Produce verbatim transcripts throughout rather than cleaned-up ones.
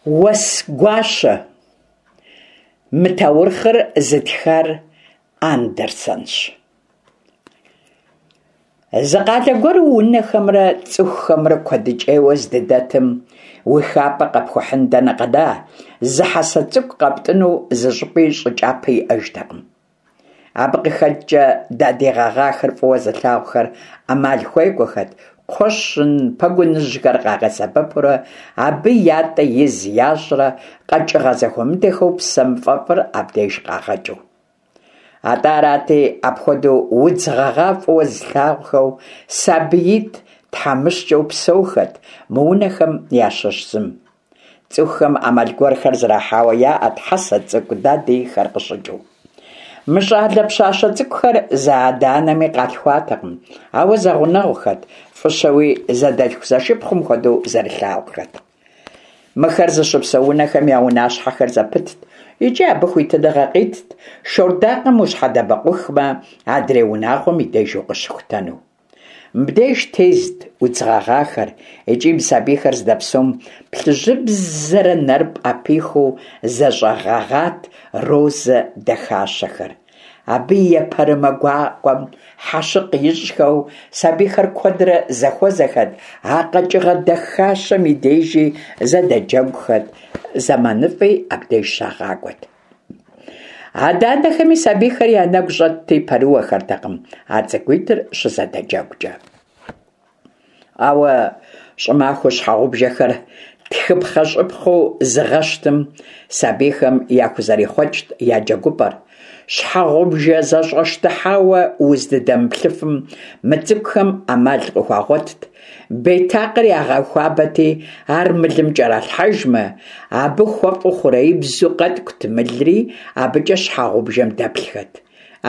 Уэс гуащэ. Мы таурыхъыр зытхар Андерсенщ. Зы къалэ гуэру унэхэмрэ цӏыхухэмрэ куэдыкӏейуэ здыдэтым, уи хапӏэ къэпхухьын дэнэ къэна, зы хьэсэ цӏыкӏу къэптӏыну зы щӏыпӏи щӏы кӏапэ иӏэжтэкъым. Абы къыхэкӏкӏэ дадий гъэгъахэр фӏыуэ зылъагъухэр ӏэмал хуекӏуэхэт, кхъуэщын, пэгуныжьхэр къагъэсэбэпурэ абы ятӏэ из ящӏрэ къэкӏыгъэ зэхуэмыдэхэу псэм фӏэфӏыр абдеж къагъэкӏыу. Атӏэ арати, апхуэдэу удз гъэгъа фӏыуэ зылъагъухэу сабиитӏ тхьэмыщкӏэу псэухэт мы унэхэм ящыщ зым. Цӏыхухэм ӏэмал гуэрхэр зэрахьауэ яӏэт хьэсэ цӏыкӏу дадийхэр къыщыкӏыу. Мы щӏалэ пщащэ цӏыкӏухэр зы адэ-анэми къалъхуатэкъым, ауэ зэгъунэгъухэт, фӏыщэуи зэдэлъху-зэшыпхъум хуэдэу зэрылъагъухэт. Мыхэр зыщыпсэу унэхэм я унащхьэхэр зэпытт икӏи абы хуитыныгъэ къитт шордакъым ущхьэдэбэкъухмэ, адрей унагъуэм и деж укъыщыхутэну. Мыбдеж тезт удз гъэгъахэр икӏи мы сабийхэр здэпсэум плъыжьыбзэрэ нэр пӏэпихыу зэщӏэгъэгъат розэ дахащэхэр. Абы и епэрымэ гуакӏуэм хьэщыкъ ищӏхэу сабийхэр куэдрэ зэхуэзэхэт, а къэкӏыгъэ дахащэм и дежи зэдэджэгухэт, зэманыфӏи абдеж щагъакӏуэт. Адэ-анэхэми сабийхэр я нэгу щӏэтти пэрыуэхэртэкъым а цӏыкӏуитӏыр щызэдэджэгукӏэ. Ауэ щӏымахуэу щхьэгъубжэхэр тхыпхъэщӏыпхъэу зыгъэщтым сабийхэм яхузэрихъуэкӏт я джэгупӏэр. Щхьэгъубжэ зэщӏэщтыхьауэ уздыдэмыплъыфым мы цӏыкӏухэм ӏэмал къыхуагъуэтт. Бетакъыр ягъэхуабэти, ар мылым кӏэралъхьэжмэ, абы хуэфӏу хъуреибзу къэткӏут мылри, абыкӏэ щхьэгъубжэм дэплъхэт.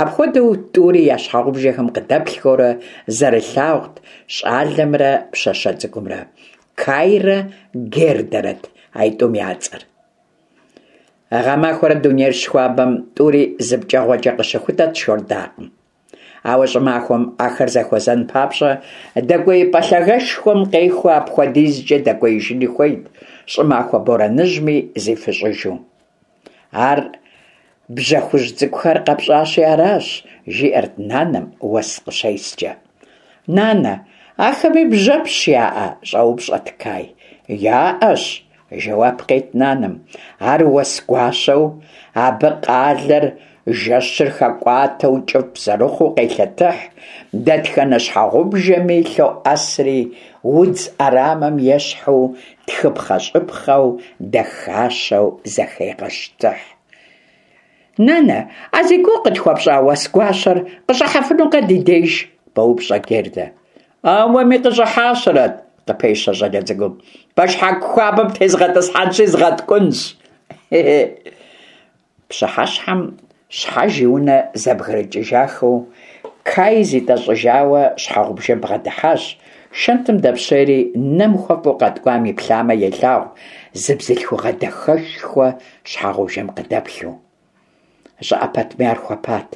Апхуэдэу тӏури я щхьэгъубжэхэм къыдэплъхэурэ зэрылъагъут щӏалэмрэ пщащэ цӏыкӏумрэ. Кайрэ Гердэрэт аитӏум я цӏэр. Гъэмахуэрэ дунейр щыхуабэм тӏури зы пкӏэгъуэкӏэ къыщыхутэт шордакъым. Ауэ щӏымахуэм ахэр зэхуэзэн папщӏэ дэкӏуеипӏэ лъагэшхуэм къехыу апхуэдизкӏэ дэкӏуеижыни хуейт, щӏымахуэ борэныжьми зифыщӏыжу. Ар бжьэхужь цӏыкӏухэр къэпщӏащи аращ, жиӏэрт нанэм уэс къыщескӏэ. Нанэ, ахэми бжьэпщ яӏэ? Щӏэупщӏэт Кай. Яӏэщ, жэуап къет нанэм. Ар уэс гуащэу, абы къалэр жэщыр хэкӏуатэу кӏыфӏ зэрыхъуу къелъэтыхь, дэтхэнэ щхьэгъубжэми лъоӏэсри, удз ӏэрамэм ещхьу, тхыпхъэщӏыпхъэу, дахащэу зэхегъэщтыхь. Нанэ, а зи гугъу къытхуэпщӏа уэс гуащэр къыщӏыхьэфынукъэ ди деж? Къоупщӏэ Гердэ. Ауэми къыщӏыхьащэрэт, къыпещэ щӏалэ цӏыкӏум. Пэшхьэку хуабэм тезгъэтӏысхьэнщи згъэткӏунщ. Пщыхьэщхьэм щхьэж и унэ зэбгрыкӏыжахэу, Кай зитӏэщӏыжауэ щхьэгъубжэм бгъэдыхьащ. Шэнтым дэпщейри, нэм хуэфӏу къэткӏуам иплъамэ елъагъу зы бзылъхугъэ дахэшхуэ щхьэгъубжэм къыдэплъу. Щӏыӏэ пэтми ар хуэпат.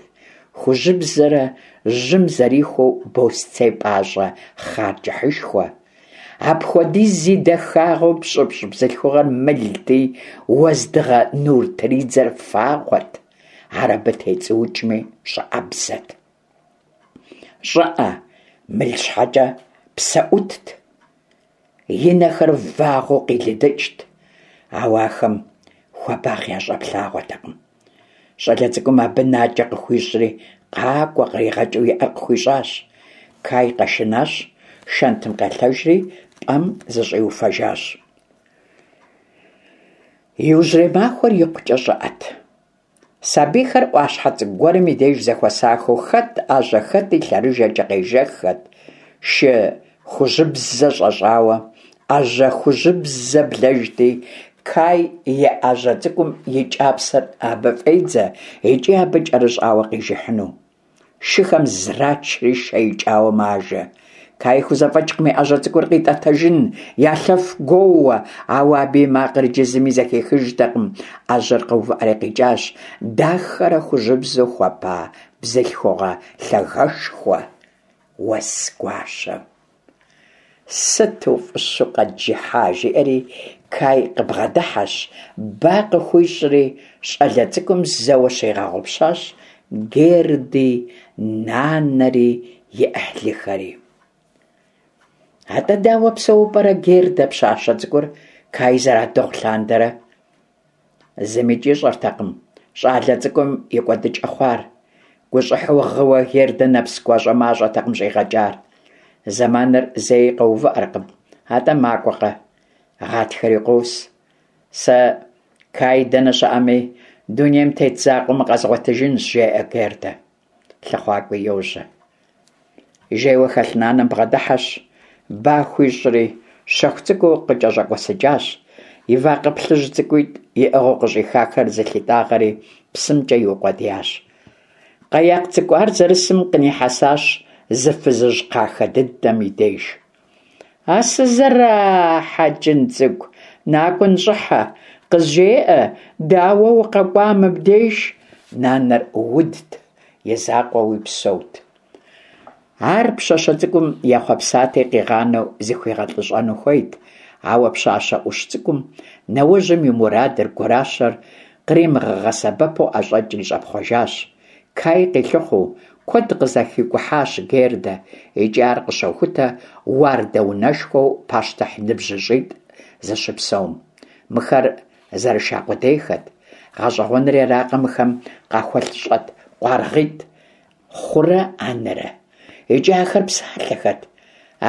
Хужьыбзэрэ жьым зэрихуэу босцей пӏащӏэ хъар кӏыхьышхуэ. Апхуэдиз зи дахагъэу пщӏыпщӏ бзылъхугъэр мылти, уэздыгъэ нур тридзэр фагъуэт. Ар абы тецӏуукӏми щӏыӏэбзэт. Щӏыӏэ, мыл щхьэкӏэ псэ ӏутт. И нэхэр вагъуэу къилыдыкӏт, ауэ ахэм хуабагъ ящӏэплъагъуэтэкъым. Щӏалэ цӏыкӏум абы накӏэ къыхуищӏри, къакӏуэ къригъэкӏыу и ӏэр къыхуищӏащ. Кай къэшынащ, шэнтым къелъэжри, пӏэм зыщӏиуфэжащ. Иужьрей махуэр икъукӏэ щӏыӏэт. Сабийхэр ӏуащхьэ цӏыкӏу гуэрым и деж зэхуэсахэу хэт ӏэжьэ, хэти лъэрыжэкӏэ къежэххэт, шы хужьыбзэ щӏэщӏауэ. ӏэжьэ хужьыбзэ блэжти, Кай и ӏэжьэ цӏыкӏум и кӏапсэр абы фӏедзэ икӏи абы кӏэрыщӏауэ къижыхьыну. Шыхэм зрачри шэ икӏауэ мажэ. Кай хузэфӏэкӏкъым и ӏэжьэ цӏыкӏур къитӏэтэжын, я лъэф гуоууэ, ауэ абы и макъыр иджы зыми зэхихыжтэкъым. Ӏэжьэр къэувыӏэри къикӏащ дахэрэ хужьыбзэу хуэпа бзылъхугъэ лъагэшхуэ, уэс гуащэ. Сыту фӏыщэу къэджыхьа, жиӏэри Кай къыбгъэдыхьэщ, ба къыхуищӏри, щӏалэ цӏыкӏум зэуэ щигъэгъупщащ Герди, нанэри, и ӏыхьлыхэри. Атӏэ дауэ псэууэ пӏэрэ Гердэ пщащэ цӏыкӏур Кай зэрадыгъу лъандэрэ? Зымикӏ ищӏэртэкъым щӏалэ цӏыкӏум и кӏуэдыкӏэ хъуар. Гущӏыхьэу гъыуэ Гердэ нэпс гуащӏэмащӏэтэкъым щӏигъэкӏар. Зэманыр зэи къэувыӏэркъым, атӏэ макӏуэкъэ. Гъатхэри къос. Сэ Кай дэнэ щыӏэми, дунейм тет закъуэмэ къэзгъуэтыжынщ, жеӏэ Гердэ. Лъыхъуакӏуи йожьэ. Жейуэ хэлъ нанэм бгъэдыхьэщ, ба хуищӏри, щэху цӏыкӏуу къыкӏэщӏэкӏуэсыкӏащ, и вакъэ плъыжь цӏыкӏуитӏ иӏыгъыу къыщӏихахэр зылъитӏагъэри псымкӏэ иукъуэдиящ. Къэякъ цӏыкӏу ар зэрысым къынихьэсащ зы фызыжь кхъахэ дыдэм и деж. А сызэрахьэ, кӏын цӏыкӏу, накӏуэ ныщӏыхьэ, къызжеӏэ, дауэ укъэкӏуа мыбдеж? Нанэр удт, и закъуэуи псэут. Ар пщащэ цӏыкӏум ехъуэпсати, къигъанэу зыхуигъэлӏыщӏэну хуейт, ауэ пщащэ ӏущ цӏыкӏум нэужьым и мурадыр, гуращэр къримыгъэгъэсэбэпу ӏэщӏэкӏри щӏэпхъуэжащ. Кай къилъыхъуэу куэд къызэхикӏухьащ Гердэ, икӏи ар къыщохутэ уардэ унэшхуэу пащтыхь ныбжьыщӏитӏ зыщыпсэум. Мыхэр зэрыша къудейхэт. Гъэщӏэгъуэнри аракъэ, мыхэм къахуэлъщӏэт къуаргъитӏ Хъурэ Анэрэ. Икӏи ахэр псалъэхэт.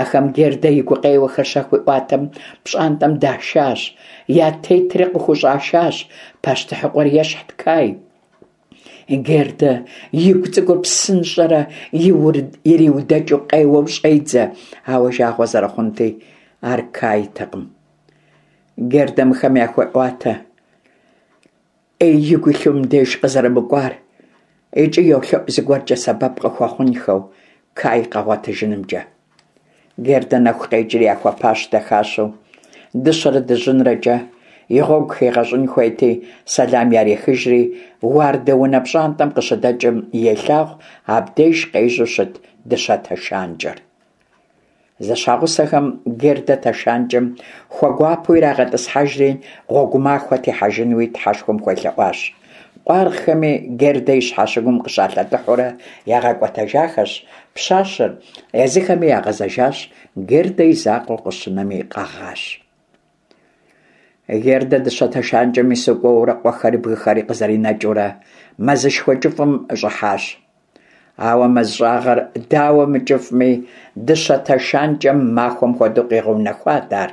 Ахэм Гердэ и гукъеуэхэр щахуиӏуатэм пщӏантӏэм дашащ, я тетри къыхущӏашащ. Пащтыхьыкъуэр ещхьт Кай. Гердэ игу цӏыкӏур псынщӏэрэ ириудэкӏыу къеуэу щӏедзэ, ауэ жагъуэ зэрыхъунти, ар Кайтэкъым. Гердэ мыхэм яхуеӏуатэ ӏей игу илъу мыбдеж къызэрымыкӏуар, икӏи йолъэӏу зыгуэркӏэ сэбэп къыхуэхъунхэу Кай къэгъуэтыжынымкӏэ. Гердэ нэху къекӏри яхуэпащ дахащэу, дыщэрэ дыжьынрэкӏэ, и гъуэгу хигъэщӏын хуейти, сэлам ярихыжри, уардэ унэ пщӏантӏэм къыщыдэкӏым елъагъу абдеж къежьэу щыт дыщэ тэшанкӏэр. Зэщхьэгъусэхэм Гердэ тэшанкӏэм хуэгуапэу ирагъэтӏысхьэжри, гъуэгу махуэ техьэжынуи Тхьэшхуэм хуелъэӏуащ. Къуаргъхэми Гердэ и щхьэщыгум къыщалъэтыхьурэ ягъэкӏуэтэжахэщ пщащэр, езыхэми ягъэзэжащ, Гердэ и закъуэу къыщынэми къэгъащ. Гердэ дыщэ тэшанкӏэм ису кӏуэурэ къуэхэри бгыхэри къызэринэкӏыурэ мэзышхуэ кӏыфӏым щӏыхьащ. Ауэ мэз щӏагъыр дауэ мыкӏыфӏми, дыщэ тэшанкӏэм махуэм хуэдэу къигъэунэхуат ар.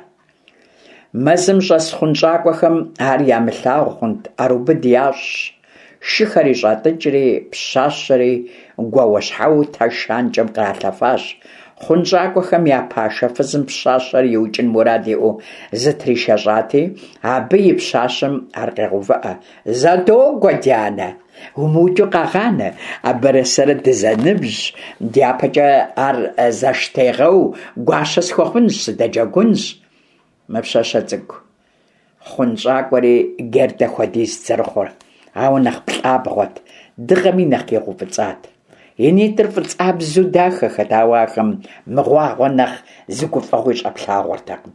Мэзым щӏэс хъунщӏакӏуэхэм ар ямылъагъу хъунт, ӏэрыубыд ящӏщ, шыхэри щӏатӏыкӏри, пщащэри гуауэщхьэуэу тэшанкӏэм къралъэфащ. Хъунщӏакӏуэхэм я пашэ фызым пщащэр иукӏын мурад иӏэу зытришэщӏати, абы и пщащэм ар къегъэувыӏэ. Зэ догуэ, дянэ, умыукӏыу къэгъанэ, абырэ сэрэ дызэныбжьщ, дяпэкӏэ ар зэштегъэу гуащэ схуэхъунщ, сыдэджэгунщ. Мы пщащэ цӏыкӏу хъунщӏакӏуэри Гердэ хуэдизт зэрыхъур, ауэ нэхъ плӏабгъуэт, дыгъэми нэхъ игъэуфӏыцӏат. И нитӏыр фӏыцӏабзэу дахэхэт, ауэ ахэм мыгъуагъуэ нэхъ зы гуфӏэгъуи щӏэплъагъуэртэкъым.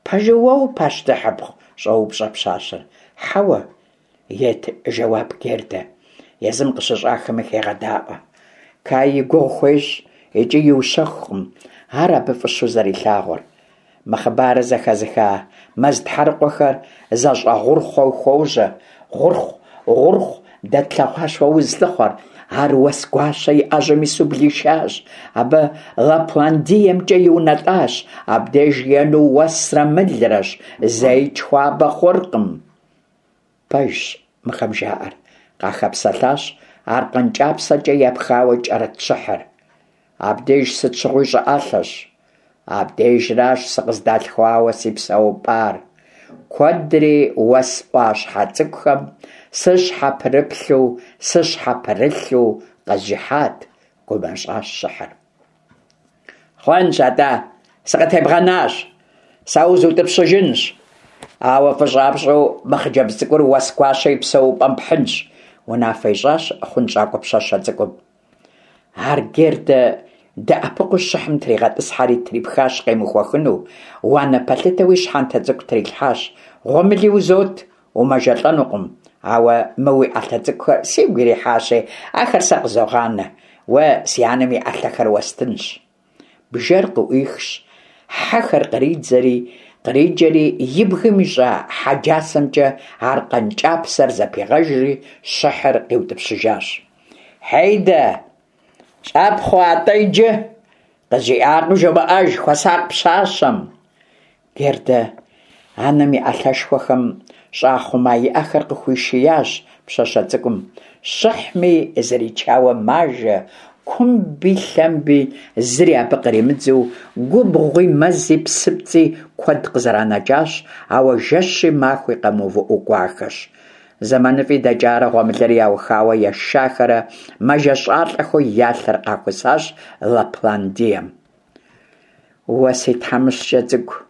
Пэжу уэ упащтыхьыпхъу? щӏоупщӏэ пщащэр. Хьэуэ, ет жэуап Гердэ, езым къыщыщӏахэми хегъэдаӏуэ. Кай и гугъу хуещӏ икӏи иущэхукъым ар абы фӏыщэу зэрилъагъур. Мы хъыбарыр зэхэзыха мэз тхьэрыкъуэхэр зэщӏэгъурхъуэу хуожьэ. Гъурхъу, гъурхъу, дэ тлъэгъуащ уэ узылъыхъуэр. Ар уэс гуащэ и ӏэжьэм ису блишащ. Абы Лапландиемкӏэ иунэтӏащ. Абдеж ену уэсрэ мылрэщ, зэикӏ хуабэ хъуркъым. Пэжщ мыхэм жаӏэр, къахэпсэлъащ аркъэн кӏапсэкӏэ епхауэ кӏэрыт щыхьыр. Абдеж сыт щыгъуи щӏыӏэлъэщ. Абдежращ сыкъыздалъхуауэ си псэупӏар. Куэдри уэс ӏуащхьэ цӏыкӏухэм сыщхьэпрыплъу, сыщхьэпрылъу къэзжыхьат, гумэщӏащ щыхьыр. Хъуэнщ атӏэ, сыкъытебгъэнащ, сэ узутӏыпщыжынщ. Ауэ фӏыщӏапщӏэу мы хъыджэбз цӏыкӏур уэс гуащэ и псэупӏэм пхьынщ, унафэ ищӏащ хъунщӏакӏуэ пщащэ цӏыкӏум. Ар Гердэ дэӏэпыкъуу щыхьым тригъэтӏысхьэри трипхащ къемыхуэхыну, уанэ пэлъытэуи щхьэнтэ цӏыкӏу трилъхьащ. Гъуэмыли узот, умэжэлӏэнукъым, ауэ мы уи ӏэлъэ цӏыкӏухэр сигу ирихьащи, ахэр сэ къызогъанэ, уэ си анэм и ӏэлъэхэр уэстынщ. Бжэр къыӏуихщ, хьэхэр къридзэри, къриджэри и бгым ищӏа хьэджасэмкӏэ аркъэн кӏапсэр зэпигъэжри, щыхьыр къиутӏыпщыжащ. Хьейдэ, щӏапхъуэ атӏэ иджы! Къызжиӏакъым жумыӏэж, хуэсакъ пщащэм! Гердэ анэм и ӏэлъэшхуэхэм щӏахъума и ӏэхэр къыхуишиящ пщащэ цӏыкӏум. Щыхьми зричауэ мажэ, кумби лъэмби зыри абы къримыдзэу, губгъуи, мэзи, псыпцӏи куэд къызэранэкӏащ, ауэ жэщи махуи къэмыувыӏэу кӏуахэщ. Зэманыфӏи дэкӏарэ гъуэмылэри яухауэ ешахэрэ мэжэщӏалӏэхэу я лъэр къахусащ Лапландием. Уэ си тхьэмыщкӏэ цӏыкӏу,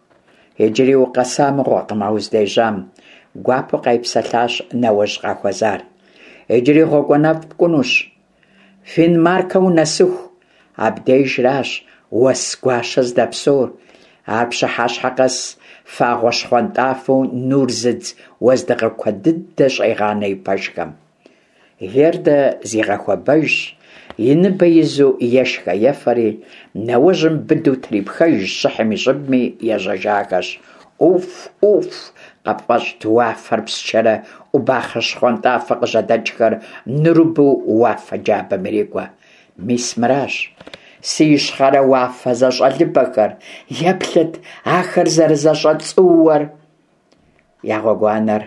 иджыри укъэса мыгъуэкъым а уздежьам, гуапэу къайпсэлъащ нэуэжь къахуэзар. Иджыри гъуэгуанэфӏ пкӏунущ. Финмаркэ унэсыху, абдежращ уэс гуащэ здэпсэур. Ар пщыхьэщхьэ къэс фагъуэ щхъуантӏафэу нур зыдз уэздыгъэ куэд дыдэ щӏегъанэ и пэшхэм. Гердэ зигъэхуэбэжщ, и ныбэ изу ешхэ-ефэри, нэужьым быдэу трипхэжщ щыхьым и щӏыбми ежьэжахэщ. Ӏуф, ӏуф, къыпфӏэщӏт уафэр псчэрэ ӏубахъэ щхъуантӏафэ къыжьэдэкӏхэр нурыбэу уафэ джабэм ирикӏуэ. Мис мыращ. Си ищхъэрэ уафэ зэщӏэлыбэхэр, еплъыт ахэр зэрызэщӏэцӏууэр. Я гъуэгуанэр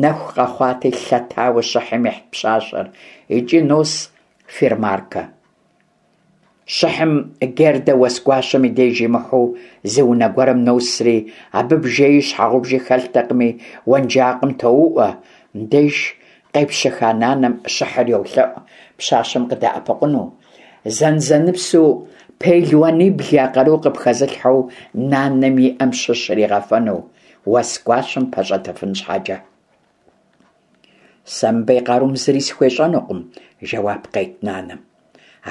нэху къэхъуати, лъэтауэ щыхьым ихьт пщащэр, икӏи нос Фирмаркэ. Щыхьым Гердэ уэс гуащэм и деж имыхьу зы унэ гуэрым носри, абы бжэи щхьэгъубжи хэлътэкъыми, уэнжакъым тоуӏуэ. Мыбдеж къепщыха нанэм щыхьыр йолъэӏу пщащэм къыдэӏэпыкъуну. Зэнзэныпсу пелуанибл я къару къыпхэзылъхьэу нанэм и ӏэм щыщ иригъэфэну, уэс гуащэм пэщӏэтыфын щхьэкӏэ. Сэ мыбы и къарум зыри схуещӏэнукъым, жэуап къет нанэм.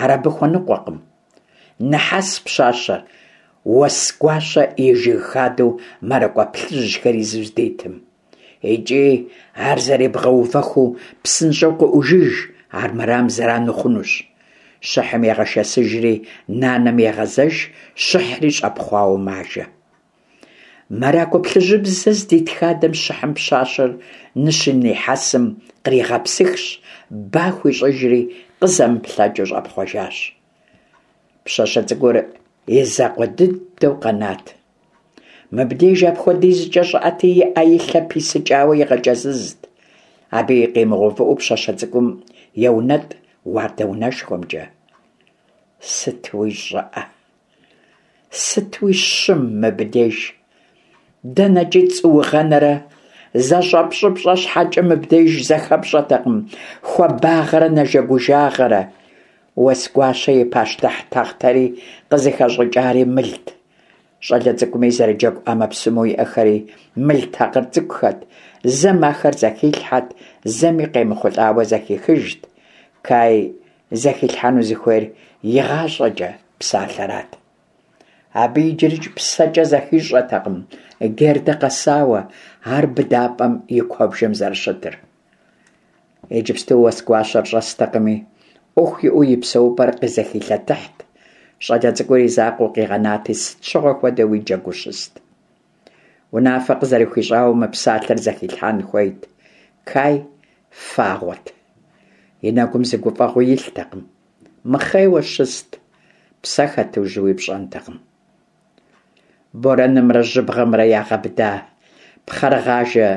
Ар абы хуэныкъуэкъым. Нэхьэс пщащэр уэс гуащэ и жыг хадэу мэракӏуэ плъыжьхэр изу здитым. Икӏи ар зэребгъэувэхыу псынщӏэу къыӏужыж, армырам зэран ухъунущ. Щыхьым егъэшэсыжри, нанэм егъэзэж, щыхьри щӏэпхъуауэ мажэ. Мэракӏуэ плъыжьыбзэ здит хадэм щыхьым пщащэр ныщынихьэсым къригъэпсыхщ, ба хуищӏыжри, къызэмыплъэкӏыу щӏэпхъуэжащ. Пщащэ цӏыкӏур и закъуэ дыдэу къэнат. Мыбдеж апхуэдизкӏэ щӏыӏэти, и ӏэ и лъэ писыкӏауэ игъэкӏэзызт. Абы къимыгъэувыӏэу пщащэ цӏыкӏум еунэтӏ уардэ унэшхуэмкӏэ. Сытуи щӏыӏэ, сытуи щым мыбдеж. Дэнэкӏи цӏуугъэнэрэ зэщӏэпщӏыпщӏэ щхьэкӏэ мыбдеж зэхэпщӏэтэкъым хуабагъэрэ нэжэгужагъэрэ. Уэс гуащэ и пащтыхь тахътэри къызыхэщӏыкӏари мылт. Щӏалэ цӏыкӏуми зэрыджэгу ӏэмэпсымэу иӏэхэри мыл такъыр цӏыкӏухэт. Зэм ахэр зэхилъхьэт, зэми къемыхъулӏауэ зэхихыжт. Кай зэхилъхьэну зыхуейр игъащӏэкӏэ псалъэрат. Абы иджырикӏ псэкӏэ зэхищӏэтэкъым Гердэ къэсауэ, ар быдапӏэм и куэбжэм зэрыщытыр. Иджыпсту уэс гуащэр щӏэстэкъыми, ӏуэху иӏэу и псэупӏэр къызэхилъэтыхьт. Щӏалэ цӏыкӏур и закъуэу къигъэнати, сыт щыгъуэ хуэдэуи джэгуу щыст. Унафэ къызэрыхуищӏауэ мы псалъэр зэхилъхьэн хуейт. Кай фагъуэт. И нэгум зы гуфӏэгъуи илътэкъым. Мыхъейуэ щыст, псэ хэтыжуи пщӏэнтэкъым. Борэнымрэ жьыбгъэмрэ ягъэбыда пхъэрыгъажэ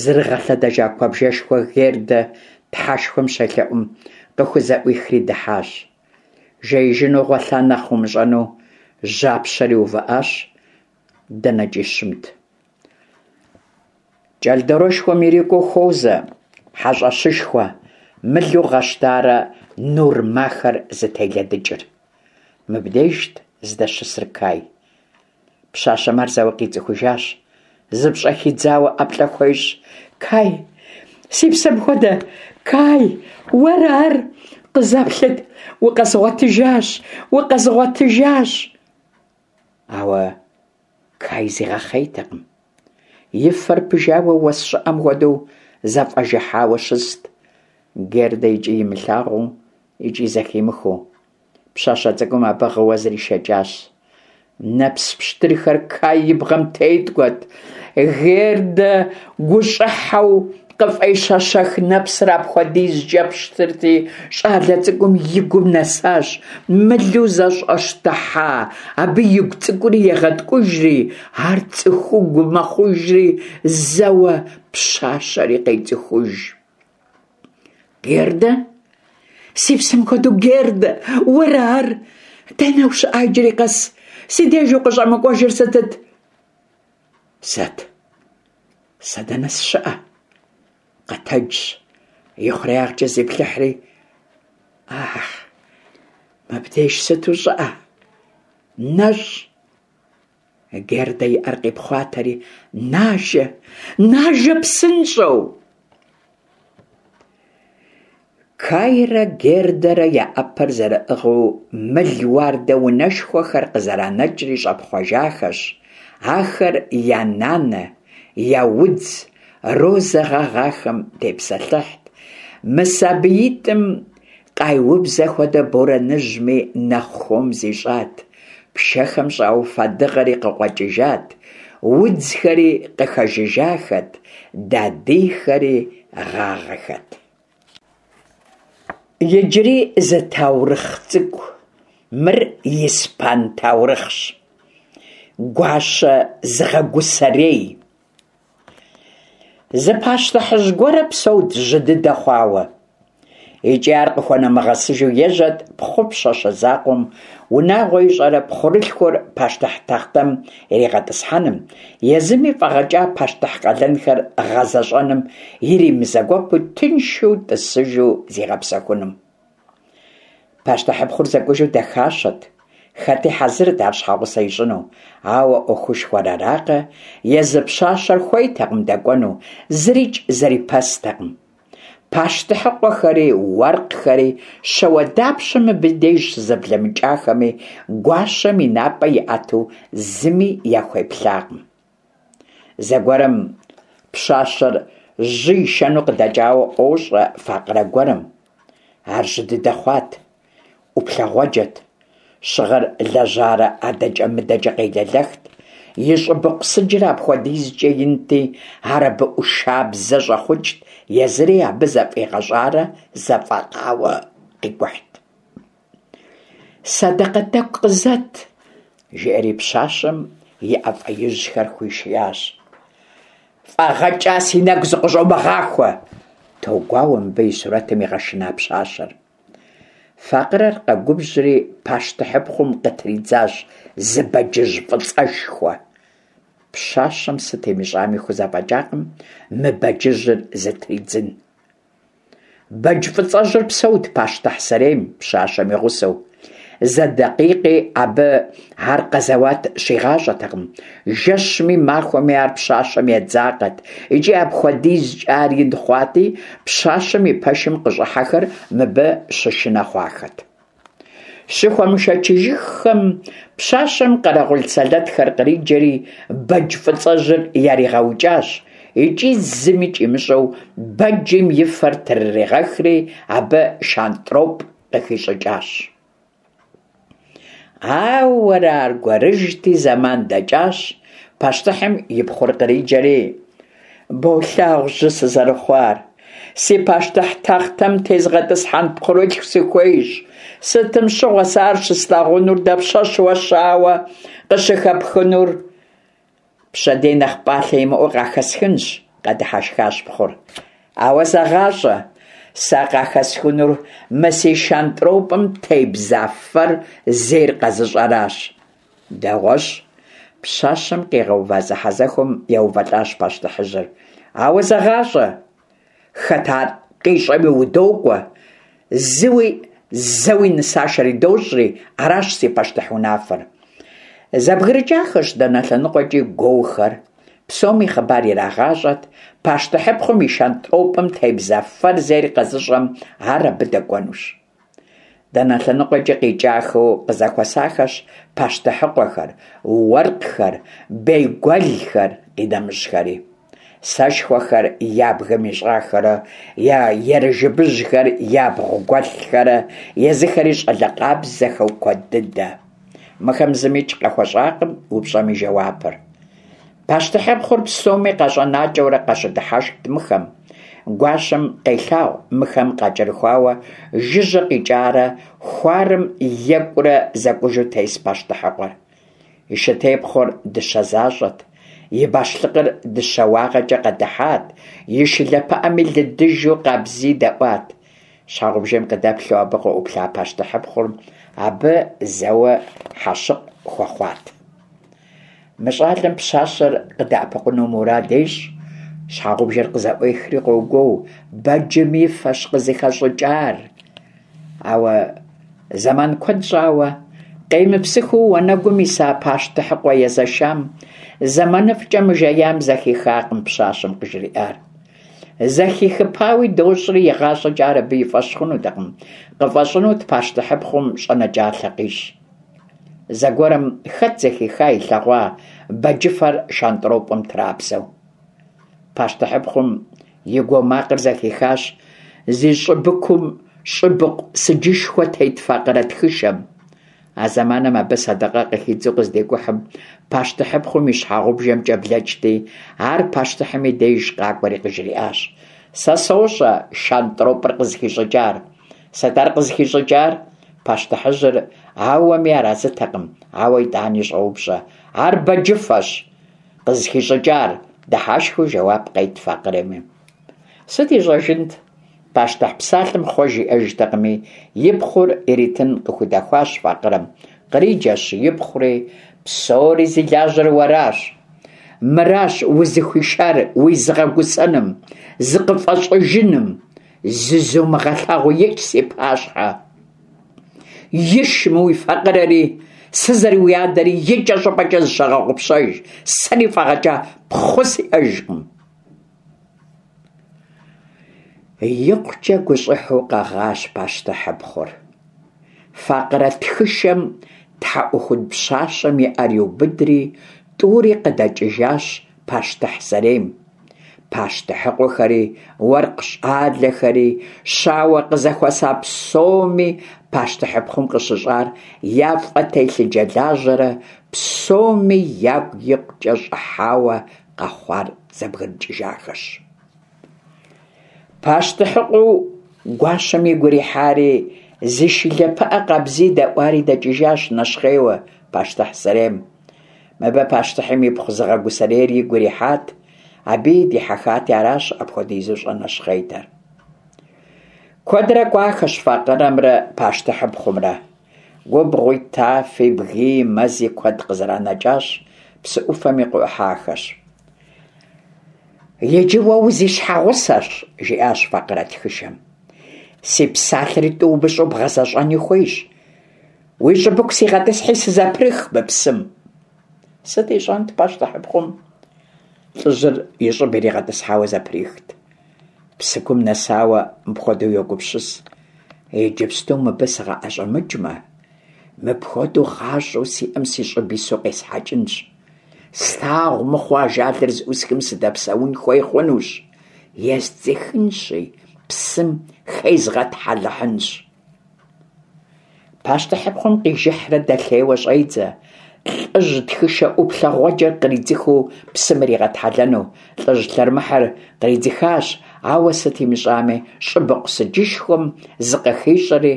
зэрыгъэлъэдэжа куэбжэшхуэ Гердэ тхьэшхуэм щелъэӏум къыхузэӏуихри дыхьащ. Жеижыну гъуэлъа нэхъ умыщӏэну жьапщэри увыӏащ, дэнэкӏи щымт. Кӏэлдорэшхуэм ирикӏуэу хуозэ хьэщӏэщышхуэ, мылу гъэщтарэ нур махэр зытелыдыкӏыр. Мыбдежт здэщысыр Кай. Пщащэм ар зэуэ къицӏыхужащ, зыпщӏэхидзауэ ӏэплӏэ хуещӏ. Кай, си псэм хуэдэ, Кай, уэра ар? Къызэплъыт, укъэзгъуэтыжащ, укъэзгъуэтыжащ! Ауэ Кай зигъэхъейтэкъым. И фэр пыжауэ, уэс щӀыӀэм хуэдэу зэфӀэжыхьауэ щыст, Гердэ икӀи имылъагъуу, икӀи зэхимыхыу. Пщащэ цӀыкӀум абы гъыуэ зришэкӀащ. Нэпс пщтырхэр Кай и бгъэм теткӀуэрт. Гердэ гущӀыхьэу къыфӀещэщэх нэпсыр апхуэдизкӀэ пщтырти, щӀалэ цӀыкӀум и гум нэсащ, мылу зэщӀэщтыхьа абы игу цӀыкӀури егъэткӀужри, ар цӀыхугу мэхъужри, зэуэ пщащэри къецӀыхуж. Гердэ? Си псэм хуэдэу Гердэ, уэра ар? Дэнэ ущыӀа иджыри къэс? Си деж укъыщӀэмыкӀуэжыр сытыт? Сэт? Сэ дэнэ сыщыӀэ? Къэтэджщ, ихъуреягъкӀэ зиплъыхьри. Ах, мыбдеж сыту щӀыӀэ! НэщӀ! Гердэ и Ӏэр къипхъуатэри, нажэ, нажэ псынщӀэу! Кайрэ Гердэрэ я Ӏэпэр зэрыӀыгъыу мыл уардэ унэшхуэхэр къызэранэкӀри щӀэпхъуэжахэщ. Ахэр я нанэ, я удз, розэ гъэгъахэм тепсэлъыхьт. Мы сабиитӀым къайубзэ хуэдэ борэныжьми нэхъ хуэм зищӀат. Пшэхэм щӀауфа дыгъэри къыкъуэкӀыжат, удзхэри къыхэжыжахэт, дадийхэри гъагъэхэт. Иджыри зы таурыхъ цӀыкӀу. Мыр испан таурыхъщ. Гуащэ зыгъэгусэрей. Зы пащтыхьыжь гуэрэ псэут жьы дыдэ хъуауэ. Икӏи ар къыхуэнэмыгъэсыжу ежьэт пхъу пщащэ закъуэм унагъуэ ищӀэрэ пхъурылъхур пащтыхь тахътэм иригъэтӀысхьэным, езыми фӀэгъэкӀа пащтыхь къалэнхэр гъэзэщӀэным иримызэгуэпу тыншу тӀысыжу зигъэпсэхуным. Пащтыхьыпхъур зэкӀужу дахащэт, хэти хьэзырт ар щхьэгъусэ ищӀыну, ауэ Ӏуэхушхуэр аракъэ, езы пщащэр хуейтэкъым дэкӀуэну, зырикӀ зэрипэстэкъым. Пащтыхьыкъуэхэри, уэркъхэри, щауэдапщэ мыбы деж щызэблэмыкӀахэми, гуащэм и напӀэ иӀэту зыми яхуеплъакъым. Зэгуэрым пщащэр жьы ишэну къыдэкӀауэ ӀуощӀэ факъырэ гуэрым. Ар жьы дыдэ хъуат, Ӏуплъэгъуэджэт, щыгъыр лэжьарэ адэкӀэ-мыдэкӀэ къелэлэхт, и щӀыбыкъу сыджыр апхуэдизкӀэ инти, ар абы Ӏушабзэ щӀэхъукӀт, езыри абы зэфӀигъэщӀарэ зэфӀэкъауэ къикӀухьт. Сэдэкъэ тӀэкӀу къызэт, жиӀэри пщащэм и Ӏэ фӀеижьхэр хуишиящ. ФӀэгъэкӀа, си нэгу зыкъыщӀумыгъахуэ! Тогуауэ мыбы и сурэтым игъэшына пщащэр. Факъырэр къэгубжьри пащтыхьыпхъум къытридзащ зы бэджыжь фӀыцӀэшхуэ. Пщащэм сыт имыщӀами хузэфӀэкӀакъым мы бэджыжьыр зытридзын. Бэдж фӀыцӀэжьыр псэут пащтыхь сэрейм пщащэм и гъусэу. Зы дакъикъи абы ар къэзэуат щигъащӀэтэкъым. Жэщми махуэми ар пщащэм едзакъэт. ИкӀи апхуэдизкӀэ ар ин хъуати, пщащэм и пэшым къыщӀыхьэхэр мыбы щышынэ хъуахэт. Щыхуэмышэчыжыххэм, пщащэм къэрэгъул сэлэтхэр къриджэри, бэдж фӀыцӀэжьыр яригъэукӀащ икӀи зымикӀ имыщӀэу бэджым и фэр трыригъэхри, абы шантӀропӀ къыхищӀыкӀащ. Ауэрэ аргуэрыжьти, зэман дэкӀащ, пащтыхьым и пхъур къриджэри: «Болъагъу жьы сызэрыхъуар, си пащтыхь тахътэм тезгъэтӀысхьэн пхъурылъху сыхуейщ. Сытым щыгъуэ сэ ар щыслъагъунур, дапщэщ уэ щауэ къыщыхэпхынур?» «Пщэдей нэхъ пӀалъэ имыӀэу къахэсхынщ», къэдыхьэшхащ пхъур. «Ауэ зэгъащӀэ, сэ къахэсхынур мы си шантӀропӀым тебза фэр зейр къэзыщӀэращ». Дэгъуэщ. Пщащэм къигъэува зэхьэзэхуэм еувэлӀащ пащтыхьыжьыр. Ауэ зэгъащӀэ, хэт ар къищӀэми удокӀуэ, зыуи зэуи нысашэр идощӀри, аращ си пащтыхь унафэр. ЗэбгрыкӀахэщ дэнэ лъэныкъуэкӀи гуоухэр, псоми хъыбар ирагъащӀэт, пащтыхьыпхъум и шантӀропӀым тебза фэр зейр къэзыщӀэм ар абы дэкӀуэнущ. Дэнэ лъэныкъуэкӀи къикӀахэу къызэхуэсахэщ пащтыхьыкъуэхэр, уэркъхэр, бейгуэлхэр, къинэмыщӀхэри. Сэшхуэхэр я бгым ищӀахэрэ, я ерыжыбыжьхэр ябгъу гуэлъхэрэ, езыхэри щӀалэ къабзэхэу куэд дыдэ. Мыхэм зымикӀ къахуэщӀакъым упщӀэм и жэуапыр. Пащтыхьыпхъур псоми къащӀэнакӀэурэ къащыдыхьэшхт мыхэм. Гуащэм къелъагъу мыхэм къакӀэрыхуауэ жыжьэ къикӀарэ хуарэм екӀурэ зэкӀужу тес пащтыхьыкъуэр. И шытепхъуэр дыщэ защӀэт, и бащлъыкъыр дыщэ уагъэкӀэ къэдыхьат, и шылэ пыӀэми лыдыжу къабзий дэӀуат. Щхьэгъубжэм къыдэплъу абы къыӀуплъа пащтыхьыпхъур абы зэуэ хьэщыкъ хуэхъуат. Мы щӀалэм пщащэр къыдэӀэпыкъуну мурад ещӀ. Щхьэгъубжэр къызэӀуехри къогуоу: «Бэджым и фэщ къызыхэщӀыкӀар!» Ауэ зэман куэд щӀауэ къемыпсыхыу уанэгум иса пащтыхьыкъуэ езэшам, зэманыфӀкӀэ мыжеям зэхихакъым пщащэм къыжриӀар. Зэхихыпауи дощӀри, игъащӀэкӀэ ар абы и фӀэщ хъунутэкъым, къыфӀэщӀынут пащтыхьыпхъум щӀэнэкӀалъэ къищӀ. Зэгуэрым хэт зэхиха, илъэгъуа бэджыфэр шантӀропӀым трабзэу? Пащтыхьыпхъум и гуо макъыр зэхихащ зи щӀыбыкум щӀыбыкъу сыджышхуэ тет факъырэ тхышэм. А зэманым абы сэдэкъэ къыхидзу къыздикӀухьым, пащтыхьыпхъум и щхьэгъубжэмкӀэ блэкӀти, ар пащтыхьым и деж къакӀуэри къыжриӀащ: «Сэ сощӀэ шантӀропӀыр къызыхищӀыкӀар». Сыт ар къызыхищӀыкӀар? Пащтыхьыжьыр ауэми арэзытэкъым, ауэ итӀани щӀоупщӀэ. Ар бэджыфэщ къызыхищӀыкӀар, дыхьэшхыу жэуап къет факъырэми. Сыт ищӀэжынт? Пащтыхь псалъэм хъуэж иӀэжтэкъыми, и пхъур иритын къыхудэхуащ факъырэм. Къриджэщ ипхъури, псори зи лажьэр уэращ. Мыращ узыхуишар уизыгъэгусэным, зыкъыфӀэщӀыжыным. Зызумыгъэлъагъуу икӀ си пащхьэ. Иш мы уи факъырэри, сызэрыуиадэри икӀэщӀыпӀэкӀэ зыщыгъэгъупщэж, сэри фӀэгъэкӀа пхъу сиӀэжкъым. ИкъукӀэ гущӀыхьу къэгъащ пащтыхьыпхъур. Факъырэ тхышэм тхьэӀухуд пщащэм и Ӏэр иубыдри, тӀури къыдэкӀыжащ пащтыхь сэрейм. Пащтыхьыкъуэхэри, уэркъ щӀалэхэри, щауэ къызэхуэса псоми пащтыхьыпхъум къыщыщӀар яфӀэтелъыджэлажьэрэ псоми ягу икъукӀэ щӀыхьауэ къэхъуар зэбгрыкӀыжахэщ. Пащтыхьыкъуэу гуащэм игу ирихьари, зи шылэ пыӀэ къабзий дэӀуари дэкӀыжащ нэщхъейуэ пащтыхь сэрейм. Мыбы пащтыхьым ипхъу зыгъэгусэрейр игу ирихьат, абыи дихьэхати аращ апхуэдизу щӀэнэщхъейтэр. Куэдрэ кӀуахэщ факъырэмрэ пащтыхьыпхъумрэ. Губгъуи, тафи, бгыи, мэзи куэд къызэранэкӀащ, псы Ӏуфэми къыӀухьахэщ. «Иджы уэ узищхьэгъусэщ», – жиӀащ факъырэ тхышэм. «Си псалъэри тӀу умыщӀу бгъэзэщӀэни хуейщ. Уи щӀыбыку сигъэтӀысхьи сызэпрых мы псым». Сыт ищӀэнт пащтыхьыпхъум? ЛӀыжьыр и щӀыб иригъэтӀысхьауэ зэприхт. Псыкум нэсауэ мыпхуэдэу йогупсыс: «Иджыпсту мыбы сыкъыӀэщӀэмыкӀмэ, мыпхуэдэу гъащӀэу сиӀэм си щӀыб ису къесхьэкӀынщ. Слъагъу мыхъуу ажалыр зыӀусхым сыдэпсэун хуей хъунущ. Ездзыхынщи, псым хезгъэтхьэлыхьынщ». Пащтыхьыпхъум къижыхьрэ дэлъейуэ щӀедзэ, лӀыжь тхышэ Ӏуплъэгъуэджэр къридзыхыу псым иригъэтхьэлэну. ЛӀыжь лъэрымыхьыр къридзыхащ, ауэ сыт имыщӀами, щӀыбыкъу сыджышхуэм зыкъыхищӀэри,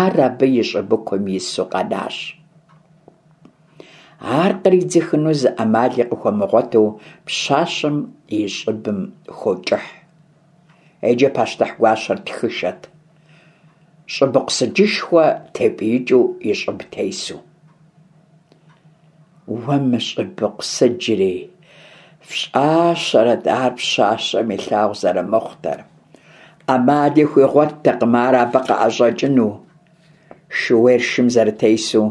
ар абы и щӀыбыкум ису къэнащ. Ар къридзыхыну зы Ӏэмали къыхуэмыгъуэту пщащэм и щӀыбым хокӀыхь. Иджы пащтыхь гуащэр тхышэт, щӀыбыкъу сыджышхуэ тепӀиикӀыу и щӀыб тесу. Уэ мы щӀыбыкъу сыджри! ФщӀащэрэт ар пщащэм илъагъу зэрымыхъутэр. Ӏэмали хуигъуэттэкъым ар абы къыӀэщӀэкӀыну. Шууейр шым зэрытесу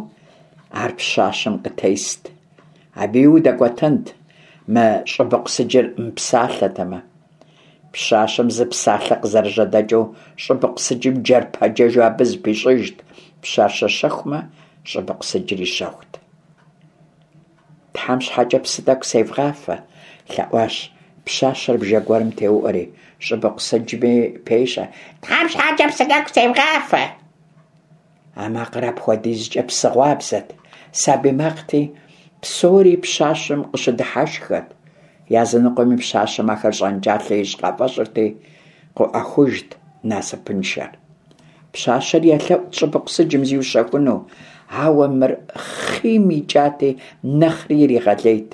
ар пщащэм къытест. Абыи удэкӀуэтэнт, мы щӀыбыкъу сыджыр мыпсалъэтэмэ. Пщащэм зы псалъэ къызэрыжьэдэкӏыу, щӏыбыкъу сыджым джэрпэджэжу абы зыпищӏыжт. Пщащэр щэхумэ, щӏыбыкъу сыджри щэхут. Тхьэм щхьэкӏэ псы тӏэкӏу севгъафэ, лъэӏуащ пщащэр бжэ гуэрым теуӏуэри. Щӏыбыкъу сыджми пещэ: Тхьэм щхьэкӏэ псы тӏэкӏу севгъафэ. А макъыр апхуэдизкӏэ псыгъуабзэт, сабий макъти, псори пщащэм къыщыдыхьэшххэт. Языныкъуэми пщащэм ахэр щӏэнкӏалъэ ищӏ къафӏэщӏырти, къыӏуахужт насыпыншэр. Пщащэр елъэӏут щӏыбыкъу сыджым зиущэхуну, ауэ мыр хъийм икӏати, нэхъри иригъэлейт.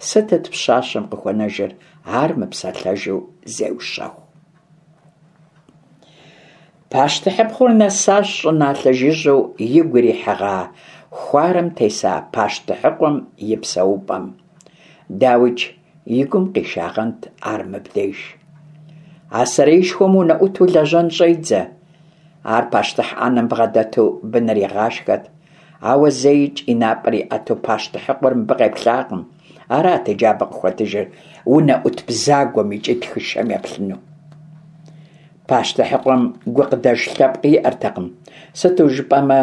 Сытыт пщащэм къыхуэнэжыр? Ар мыпсэлъэжу зеущэху. Пащтыхьыпхъур нэсащ щӏыналъэ жыжьэу игу ирихьыгъа хуарэм теса пащтыхьыкъуэм и псэупӏэм. Дауикӏ, и гум къишагъэнт ар мыбдеж. А сэреишхуэм унэӏуту лэжьэн щӏедзэ. Ар пащтыхь ӏэнэм бгъэдэту быныр игъашхэт, ауэ зэикӏ и напӏэр иӏэту пащтыхьыкъуэр мыбы къеплъакъым. Арат иджы абы къыхуэтыжыр унэӏут бзагуэм икӏи тхышэм еплъыну. Пащтыхьыкъуэм гукъыдэж лъэпкъ иӏэртэкъым, сыту жыпӏэмэ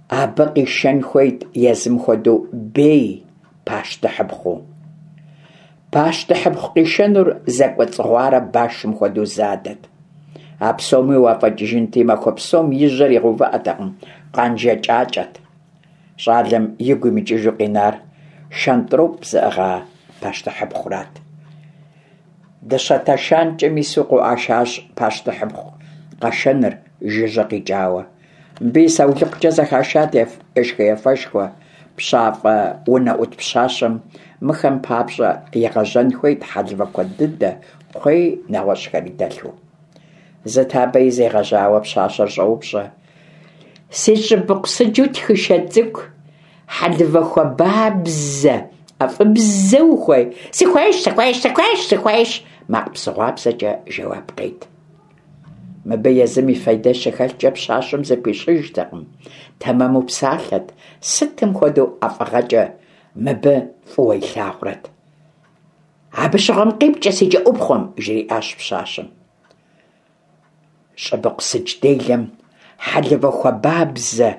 абы къишэн хуейт езым хуэдэу бей пащтыхьыпхъуу. Пащтыхьыпхъу къишэнур зэкӏуэцӏыгъуарэ башым хуэдэу задэт. А псоми уафӏэкӏыжынти, махуэ псом и жьэр игъэувыӏэтэкъым, къанжэ кӏакӏэт. Щӏалэм игу имыкӏыжу къинар шэнтӏроп зыӏыгъа пащтыхьыпхъурат. Дыщэ тэшанкӏэм ису къыӏуашащ пащтыхьыпхъу къэшэныр жыжьэ къикӏауэ. Мыбы и саулыкъукӏэ зэхашат ешхэ-ефэшхуэ. Пщафӏэ унэӏут пщащэм мыхэм папщӏэ игъэжьэн хуейт хьэлывэ куэд дыдэ, кхъуей, нэгъуэщӏхэри дэлъу. Зы табэ из игъэжьауэ пщащэр щӏоупщӏэ: Си щӏыбыкъу сыджу тхышэ цӏыкӏу, хьэлывэ хуабабзэ, ӏэфӏыбзэ ухуей? Сыхуейщ, сыхуейщ, сыхуейщ, сыхуейщ, макъ псыгъуабзэкӏэ жэуап къет. Мыбы езым и фейдэ щыхэлъкӏэ пщащэм зыпищӏыжтэкъым, тэмэму псалъэт, сытым хуэдэу ӏэфӏыгъэкӏэ мыбы фӏыуэ илъагъурэт. Абы щыгъуэм къипкӏэ си кӏэӏупхъуэм, жриӏащ пщащэм. Щӏыбыкъу сыдж делэм хьэлывэ хуабабзэ,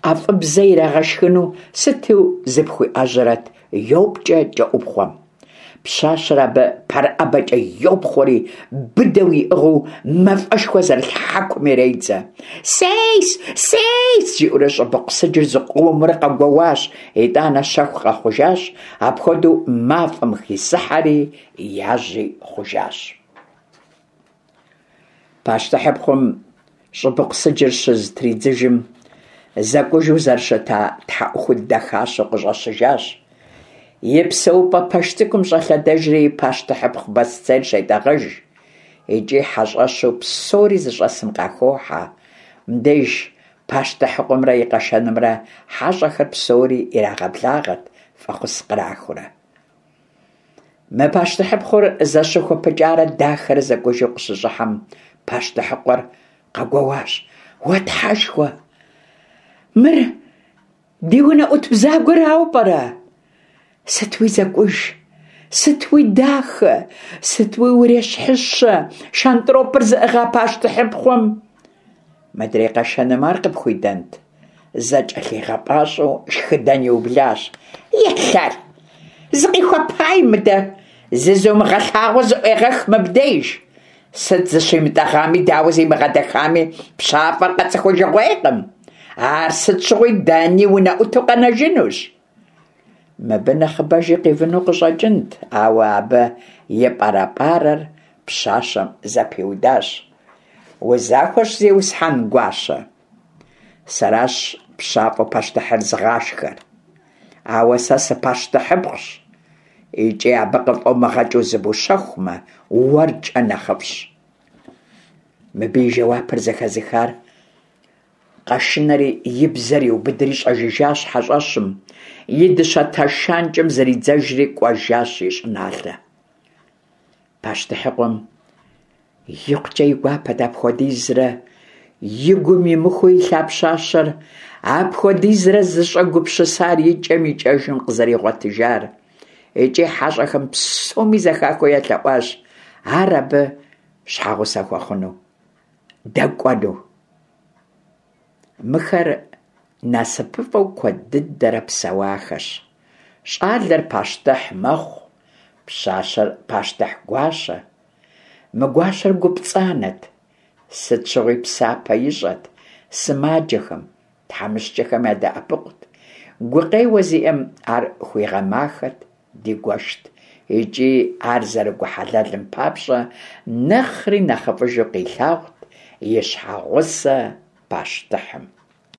ӏэфӏыбзэ ирагъэшхыну сыту зыпхуиӏэжьэрэт, йопкӏэ кӏэӏупхъуэм. Пщащэр абы пэрыӏэбэкӏэ йопхъуэри, быдэу иӏыгъыу мафӏэшхуэ зэрылъ хьэкум иредзэ. Сейс, сейс, жиӏэурэ щӏыбыкъу сыджыр зыкъомрэ къэгуэуащ, итӏанэ щэху къэхъужащ, апхуэдэу мафӏэм хисыхьэри яжьи хъужащ. Пащтыхьыпхъум щӏыбыкъу сыджыр щызытридзыжым, зэкӏужу зэрыщыта тхьэӏухуд дахащэу къыщӏэщыжащ. И псэупӏэ пэш цӏыкӏум щӏэлъэдэжри пащтыхьыпхъу босцейр щетӏэгъэж. Икӏи хьэщӏэщу псори зыщӏэсым къахохьэ. Мыбдеж пащтыхьыкъуэмрэ и къэшэнымрэ хьэщӏэхэр псори ирагъэблагъэт, фӏэхъус кърахыурэ. Мы пащтыхьыпхъур зэщыхуэпыкӏарэ дахэрэ зэкӏужу къыщыщӏыхьэм, пащтыхьыкъуэр къэгуэуащ: Уэ тхьэшхуэ, мыр ди унэӏут бзагуэрауэ пӏэрэ? Сыт уи зэкӏуж, сыт уи дахэ, сыт уи урещхьыщэ шэнтӏропыр зыӏыгъа пащтыхьыпхъум? Мыдрей къэшэным ар къыпхуидэнт? Зэкӏэлъигъэпӏащӏэу шхыдэн иублащ. Елъэр! Зыкъихуэпай мыдэ! Зызумыгъэлъагъуу зыӏуегъэх мыбдеж! Сыт зыщимытӏэгъами, дауэ зимыгъэдэхами, пщафӏэр къэцӏыхужыгъуейкъым. Ар сыт щыгъуи дэни унэӏуту къэнэжынущ. Мыбы нэхъыбэжи къивыну къыщӏэкӏынт, ауэ абы и пӏэрэпӏарэр пщащэм зэпиудащ. Узахуэщ, зиусхьэн гуащэ. Сэращ пщафӏэу пащтыхьыр зыгъашхэр. Ауэ сэ сыпащтыхьыпхъущ, икӏи абы къыфӏомыгъэкӏыу зыбущэхумэ, уэркӏэ нэхъыфӏщ. Мыбы и жэуапыр зэхэзыхар къэшынэри и бзэр иубыдри щӏэжыжащ хьэщӏэщым, и дыщэ тэшанкӏэм зридзэжри кӏуэжащ и щӏыналъэ. Пащтыхьыкъуэм икъукӏэ и гуапэт апхуэдизрэ и гум имыхуу илъа пщащэр, апхуэдизрэ зыщӏэгупсысар икӏэм-икӏэжым къызэригъуэтыжар. Икӏи хьэщӏэхэм псоми зэхахыу елъэӏуащ ар абы щхьэгъусэ хуэхъуну, дэкӏуэну. Мыхэр насыпыфӏэу куэд дыдэрэ псэуахэщ. Щӏалэр пащтыхь мэхъу, пщащэр пащтыхь гуащэ. Мы гуащэр гу пцӏанэт, сыт щыгъуи псапэ ищӏэт, сымаджэхэм, тхьэмыщкӏэхэм ядэӏэпыкъут, гукъеуэ зиӏэм ар хуигъэмахэт, дигуэшт икӏи ар зэрыгухьэлэлым папщӏэ нэхъри нэхъыфӏыжу къилъагъут и щхьэгъусэ пащтыхьым.